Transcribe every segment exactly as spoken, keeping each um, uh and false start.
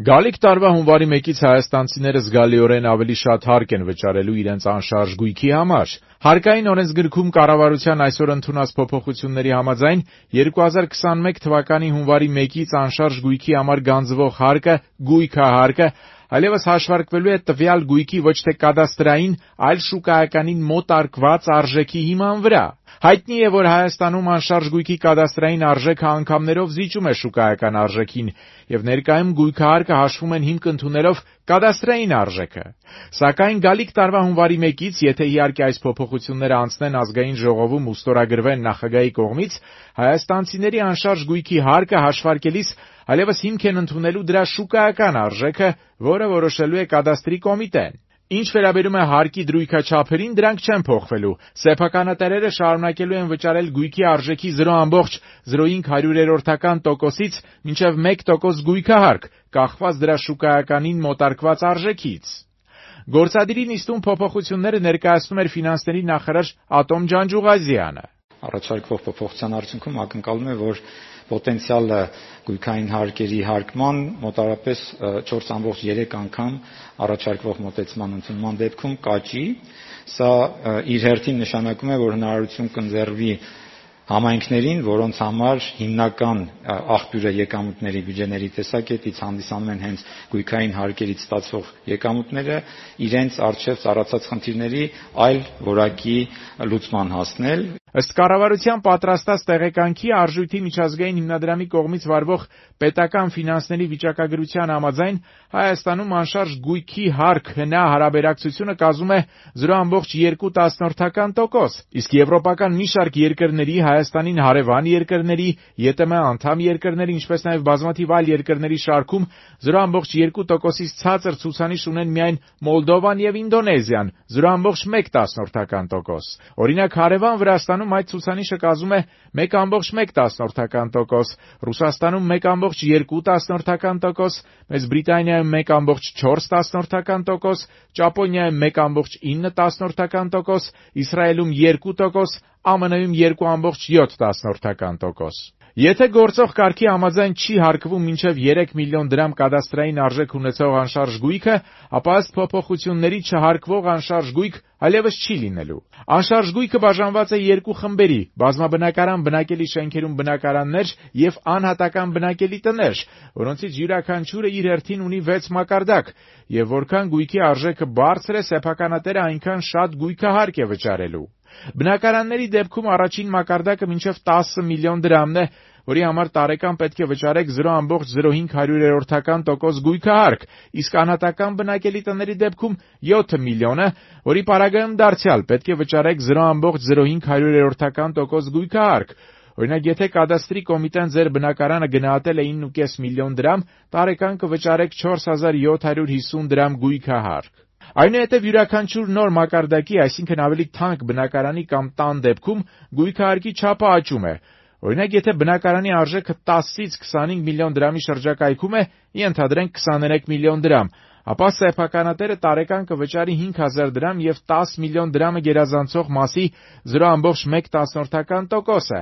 Գալիք տարվա հունվարի մեկից հայաստանցիները զգալիորեն ավելի շատ հարկ են վճարելու իրենց անշարժ գույքի համար։ Հարկային օրենսգրքում կառավարության այսօր ընդունած փոփոխությունների համաձայն երկու հազար քսանմեկ թվականի հունվարի մեկից անշարժ գույքի համար գանձվող հարկը գույքահարկը այլևս հաշվարկվելու է տվյալ գույքի ոչ թե կադաստրային, այլ շուկայականին մոտարկված արժեքի հիման վրա։ Հայտնի է, որ Հայաստանում անշարժ գույքի կադաստրային արժեքը անգամներով զիջում է շուկայական արժեքին, եւ ներկայում գույքահարկը հաշվում են հիմք ընդունելով կադաստրային արժեքը։ Սակայն գալիք տարվա հունվարի մեկից, եթե իհարկե այս փոփոխությունները անցնեն ազգային ժողովում ու ստորագրվեն նախագահի կողմից, հայաստանցիների անշարժ գույքի հարկը հաշվարկելիս այլևս հիմք են ընդունելու դրա շուկայական արժեքը, որը որոշելու է կադաստրի կոմիտեն։ Ինչ վերաբերում է հարկի դրույքաչափերին, դրանք չեն փոխվելու։ Սեփականատերերը շարունակելու են վճարել գույքի արժեքի զրո ամբողջ զրո հինգ հարյուրերորդական տոկոսից մինչև մեկ տոկոս գույքահարկ, կախված դրա շուկայականին մոտարկված արժեքից։ Գործադիրի նիստում փոփոխությունները ներկայացնում էր ֆինանսների նախարար Ատոմ Ջանջուղազյանը։ Առաջարկվող փոփոխության արդյունքում ակնկալում է, որ պոտենցիալը գույքային հարկերի հարկման մոտավորապես չորս ամբողջ երեք անգամ առաջարկվող մոտեցման ընդունման դեպքում կաճի։ Սա իր հերթին նշանակում է, որ հնարավորություն կընձեռվի համայնքներին, որոնց համար հիմնական աղբյուրը եկամուտների բյուջեների տեսակետից հանդիսանում են հենց գույքային հարկերից ստացվող եկամուտները, իրենց առջև ծառացած խնդիրների այլ որակի լուծման հասնել։ Ըստ կառավարության պատրաստած տեղեկանքի Արժույթի միջազգային հիմնադրամի կողմից վարվող պետական ֆինանսների վիճակագրության համաձայն Հայաստանում անշարժ գույքի հարկ-հնա հարաբերակցությունը կազմում է զրո ամբողջ երկու տասնորդական տոկոս, իսկ եվրոպական մի շարք երկրների, Հայաստանին հարևան երկրների, ԵՏՄ անդամ երկրների, ինչպես նաև բազմաթիվ այլ երկրների շարքում զրո ամբողջ երկու տոկոսից ցածր ցուցանիշ ունեն միայն Մոլդովան եւ Ինդոնեզիան՝ զրո ամբողջ մեկ տասնորդական տոկոս։ Օրինակ հարևան Վրաստանում այդ ցուցանիշը կազմում է մեկ ամբողջ մեկ տասնորդական տոկոս, Ռուսաստանում մեկ ամբողջ երկու տասնորդական տոկոս, Մեծ Բրիտանիայում մեկ ամբողջ չորս տասնորդական տոկոս, Ճապոնիայում մեկ ամբողջ ինը տասնորդական տոկոս, Իսրայելում երկու տոկոս, ԱՄՆ-ում երկու ամբողջ յոթ տասնորդական տոկոս։ Եթե գործող կարգի համաձայն չի հարկվում մինչև երեք միլիոն դրամ կադաստրային արժեք ունեցող անշարժ գույքը, ապա ըստ փոփոխությունների չհարկվող անշարժ գույք այլևս չի լինելու։ Անշարժ գույքը բաժանված է երկու խմբերի՝ բազմաբնակարան բնակելի շենքերում բնակարաններ եւ անհատական բնակելի տներ, որոնցից յուրաքանչյուրը իր հերթին ունի վեց մակարդակ, եւ որքան գույքի արժեքը բարձր է, սեփականատերը այնքան շատ գույքահարկ է վճարելու։ Բնակարանների դեպքում առաջին մակարդակը մինչև տասը միլիոն դրամն է, որի համար տարեկան պետք է վճարեք զրո ամբողջ զրո հինգ հարյուրերորդական տոկոս գույքահարկ, իսկ անհատական բնակելի տների դեպքում յոթ միլիոնը, որի պարագայում դարձյալ պետք է վճարեք զրո ամբողջ զրո հինգ հարյուրերորդական տոկոս գույքահարկ։ Օրինակ, եթե կադաստրի կոմիտեն ձեր բնակարանը գնահատել է ինը կես միլիոն դրամ, տարեկան կվճարեք չորս հազար յոթ հարյուր հիսուն դրամ գույքահարկ։ Այնուհետև յուրաքանչյուր նոր մակարդակի, այսինքն ավելի թանկ բնակարանի կամ տան դեպքում գույքահարկի չափը աճում է։ Օրինակ, եթե բնակարանի արժեքը տասից քսանհինգ միլիոն դրամի շրջակայքում է, ենթադրենք քսաներեք միլիոն դրամ, ապա սեփականատերը տարեկան կվճարի հինգ հազար դրամ եւ տասը միլիոն դրամը գերազանցող մասի զրո ամբողջ մեկ տասնորդական տոկոսը։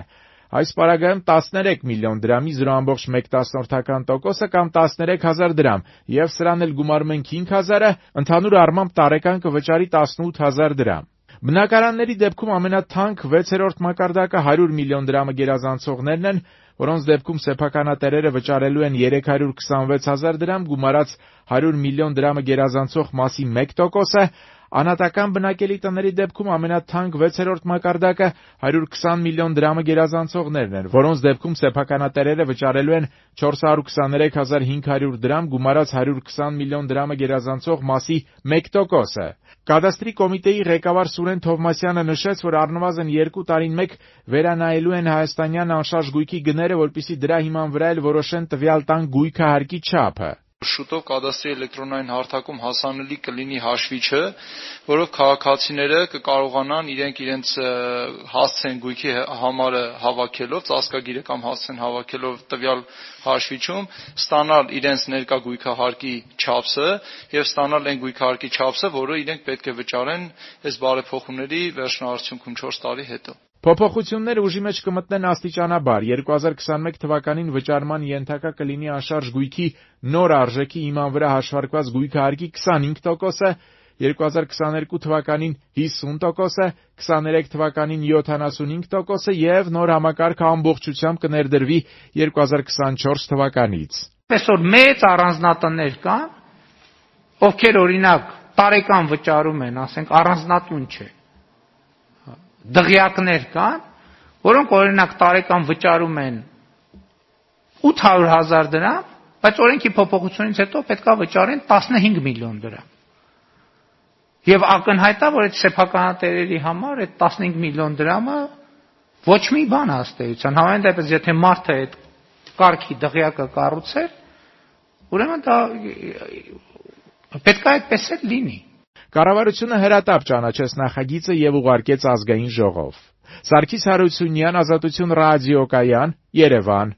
Այս պարագայում տասներեք միլիոն դրամի զրո ամբողջ մեկ տասնորդական տոկոսը կամ տասներեք հազար դրամ, եւ սրան էլ գումարում ենք հինգ հազարը, ընդհանուր առմամբ տարեկան կվճարի տասնութ հազար դրամ։ Բնակարանների դեպքում ամենաթանկ վեցերորդ մակարդակը հարյուր միլիոն դրամը գերազանցողներն են, որոնց դեպքում սեփականատերերը վճարելու են երեք հարյուր քսանվեց հազար դրամ, գումարած հարյուր միլիոն դրամը գերազանցող մասի մեկ տոկոսը, անհատական բնակելի տների դեպքում ամենաթանկ վեցերորդ մակարդակը հարյուր քսան միլիոն դրամը գերազանցողներն են, որոնց դեպքում սեփականատերերը վճարելու են չորս հարյուր քսաներեք հազար հինգ հարյուր դրամ, գումարած հարյուր քսան միլիոն դրամը գերազանցող մասի մեկ տոկոսը։ Կադաստրի կոմիտեի ղեկավար Սուրեն Թովմասյանը նշեց, որ առնվազն երկու տարին մեկ վերանայելու են հայաստանյան անշարժ գույքի գները, որպեսզի դրա հիման վրա էլ որոշեն տվյալ տան գույքահարկի չափը։ Շուտով կադաստրի էլեկտրոնային հարթակում հասանելի կլինի հաշվիչը, որով քաղաքացիները կկարողանան իրենք իրենց հասցեն գույքի համարը հավաքելով, ծածկագիրը կամ հասցեն հավաքելով տվյալ հաշվիչում, ստանալ իրենց ներկա գույքահարկի չափսը եւ ստանալ այն գույքահարկի չափսը, որը իրենք պետք է վճարեն այս բարեփոխումների վերջնարարությունքում չորս տարի հետո։ Փոփոխությունները ուժի մեջ կմտնեն աստիճանաբար։ երկու հազար քսաներկու թվականին վճարման ենթակա կլինի անշարժ գույքի նոր արժեքի հիման վրա հաշվարկված գույքահարկի քսանհինգ տոկոսը, երկու հազար քսաներկու թվականին հիսուն տոկոսը, քսաներեք թվականին յոթանասունհինգ տոկոսը եւ նոր համակարգը ամբողջությամբ կներդրվի երկու հազար քսանչորս թվականից։ Այսօր մեծ առանձնատներ կան, ովքեր օրինակ տարեկան վճարում են, ասենք առանձնատուն չէ։ Դղյակներ կան, որոնք օրինակ տարեկան վճարում են ութ հարյուր հազար դրամ, բայց օրենքի փոփոխությունից հետո պետքա վճարեն տասնհինգ միլիոն դրամ։ Եվ ակնհայտ է, որ այդ սեփականատերերի համար այդ տասնհինգ միլիոն դրամը ոչ մի բան հաստատության։ Համենայն դեպս, եթե մարդը այդ կարգի դղյակը կառուցեր, ուրեմն դա պետքա այդպես էլ լինի։ Կառավարությունը հրատապ ճանաչեց նախագիծը եւ ուղարկեց ազգային ժողով։ Սարգիս Հարությունյան, Ազատություն ռադիոկայան, Երևան։